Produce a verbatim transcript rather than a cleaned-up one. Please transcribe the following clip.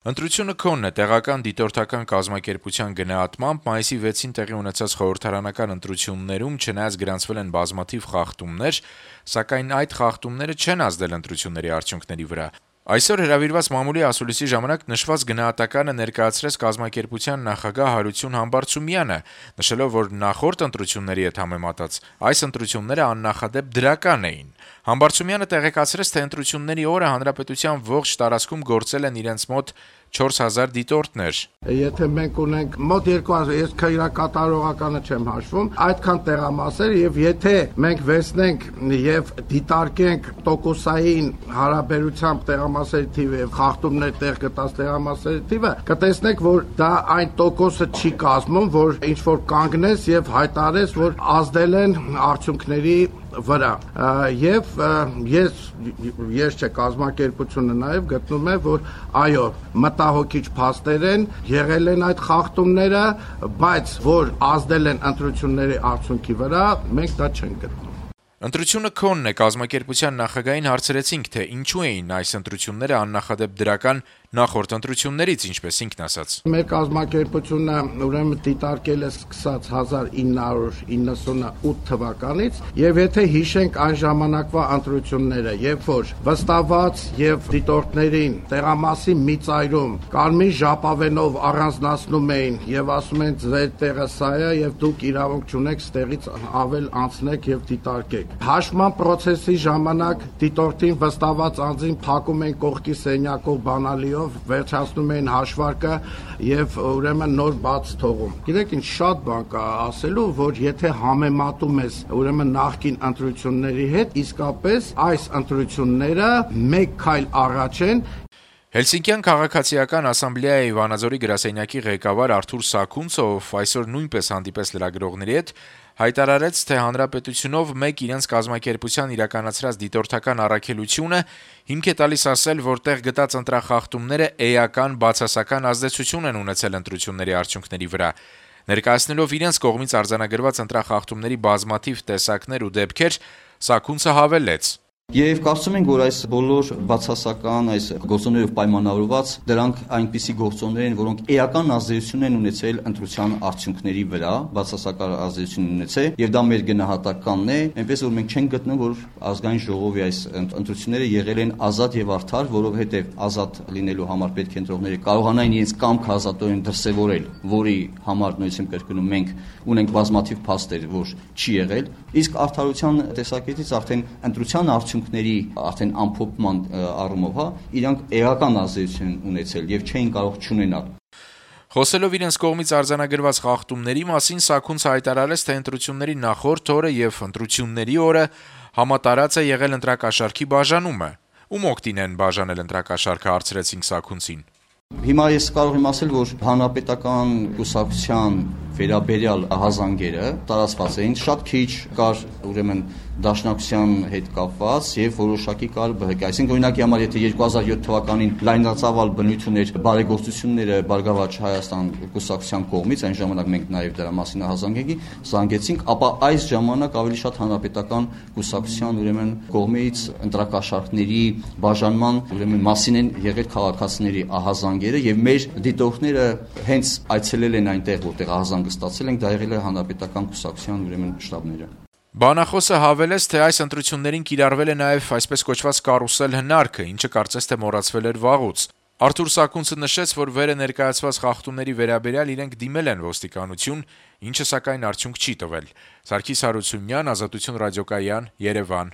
Ընտրությունը քոնն է տեղական դիտորդական կազմակերպության գնահատմամբ մայիսի վեցին տեղի ունեցած խորհրդարանական ընտրություններում չնայած գրանցվել են բազմաթիվ խախտումներ, սակայն այդ խախտումները չեն ազդել ընտրությունների արդյունքների վրա։ Այսօր հրավիրված մամուլի ասուլիսի ժամանակ նշված գնահատականը ներկայացրեց կազմակերպության նախագահ Հարություն Համբարձումյանը, նշելով, որ նախորդ ընտրությունների հետ համեմատած այս ընտրությունները աննախադեպ դրական էին։ Համբարձումյանը տեղեկացրեց, թե ընտրությունների օրը հանրապետության ողջ տարածքում գործել են իրենց մոտ չորս հազար դիտորդներ։ Եթե մենք ունենք մոտ երկու հազար, ես քրակատարողականը չեմ հաշվում, այդքան տեղամասեր, եւ եթե մենք վերցնենք եւ դիտարկենք տոկոսային հարաբերությամբ տեղամասերի թիվը եւ խախտումներ տեղ գտած տեղամասերի թիվը, կտեսնենք, որ դա այն տոկոսը չի կազմում, որ ինչ որ կանգնես եւ հայտարարես, որ ազդել են արդյունքների վրա եւ ես ես չէ կազմակերպությունը նաեւ գտնում է, որ այո, մտահոգիչ փաստեր են, եղել են այդ խախտումները, բայց որ ազդել են ընտրությունների արդյունքի վրա, մենք դա չենք գտնում։ Ընտրությունը քոնն է, կազմակերպության նախագահին հարցրեցինք, թե ինչու էին այս ընտրությունները աննախադեպ դրական նախորդ ընտրություններից, ինչպես ինքն ասաց։ Մեր կազմակերպությունը ուրեմն դիտարկել է սկսած հազար ինը հարյուր իննսունութ թվականից, եւ եթե հիշենք այն ժամանակվա ընտրությունները, երբ որ վստահված եւ դիտորդներին տեղամասի մի ծայրում կարմիր ժապավենով առանձնացնում էին եւ ասում են ձեր տեղը սա է եւ դուք իրավունք չունեք ստեղից ավել անցնեք եւ դիտարկեք։ Հաշվման process-ի ժամանակ դիտորդին վստահված անձին փակում են կողքի սենյակով բանալիով, վերջացնում են հաշվարկը եւ ուրեմն նոր բաց թողում։ Գիտեք ինչ շատ բան կա ասելու, որ եթե համեմատում ես ուրեմն նախկին ընտրությունների հետ, իսկապես այս ընտրությունները մեկ քայլ առաջ են։ Հելսինկյան քաղաքացիական ասամբլեայի Վանաձորի գրասենյակի ղեկավար Արթուր Սաքունցը, ով այսօր նույնպես հանդիպեց լրագրողների հետ, հայտարարեց, թե հանրապետությունով մեկ իրենց կազմակերպության իրականացրած դիտորդական առաքելությունը հիմք է տալիս ասել, որ տեղ գտած ընտրախախտումները էական բացասական ազդեցություն են ունեցել ընտրությունների արդյունքների վրա։ Ներկայացնելով իրենց կողմից արձանագրված ընտրախախտումների բազմաթիվ տեսակներ ու դեպքեր, Սաքունցը հավելեց. Եվ կարծում ենք, որ այս բոլոր բացասական այս գործոններով պայմանավորված դրանք այնպիսի գործոններ են, որոնք էական ազդեցություն են ունեցել ընտրության արդյունքների վրա, բացասական ազդեցություն ունեցել, եւ դա մեր գնահատականն է, այնպես որ մենք չենք գտնում, որ ազգային ժողովի այս ընտրությունները եղել են ազատ եւ արդար, որովհետեւ ազատ լինելու համար պետք է ընտրողները կարողանային իրենց կամքը ազատորեն դրսեւորել, որի համար նույնիսկ կրկնում մենք ունենք բազմաթիվ փաստեր, որ չի եղել, իսկ արդարության տեսակետից արդեն ընտրության արդյունքների արդեն ամփոփման առումով, հա, իրանք էական ազդեցություն ունեցել եւ չէին կարող չունենալ։ Խոսելով իրենց կողմից արձանագրված խախտումների մասին, Սաքունցը հայտարարեց, թե ընտրությունների նախորդ օրը եւ ընտրությունների օրը համատարած է եղել ընտրակաշառքի բաժանումը։ Ում օգտին են բաժանել ընտրակաշառքը, հարցրեցինք Սաքունցին։ Հիմա ես կարող եմ ասել, որ հանրապետական կուսակցության վերաբերյալ ահազանգերը տարածված էին, շատ քիչ կար ուրեմն դաշնակցության հետ կապված եւ որոշակի կար ԲՀԿ, այսինքն օրինակի համար եթե երկու հազար յոթ թվականին լայնածավալ բնույթ ուներ բարեգործությունները Բարգավաճ Հայաստան կուսակցության կողմից, այն ժամանակ մենք նաեւ դրա մասին ահազանգեի զանգեցինք, ապա այս ժամանակ ավելի շատ հանրապետական կուսակցության ուրեմն կողմից ընտրակաշառքների բաժանման ուրեմն մասին են եղել քաղաքացիների ահազանգերը եւ մեր դիտորդները հենց այցելել են այնտեղ, որտեղ ահազանգը ստացել ենք, դա եղել է հանրապետական կուսակցության ուրեմն շտաբները։ Բանախոսը հավելեց, թե այս ընտրություններին կիրառվել է նաև այսպես կոչված կարուսել հնարքը, ինչը կարծես թե մոռացվել էր վաղուց։ Արթուր Սաքունցը նշեց, որ վերը ներկայացված խախտումների վերաբերյալ իրենք դիմել են ոստիկանություն, ինչը սակայն արդյունք չի տվել։ Սարգիս Հարությունյան, Ազատություն ռադիոկայան, Երևան։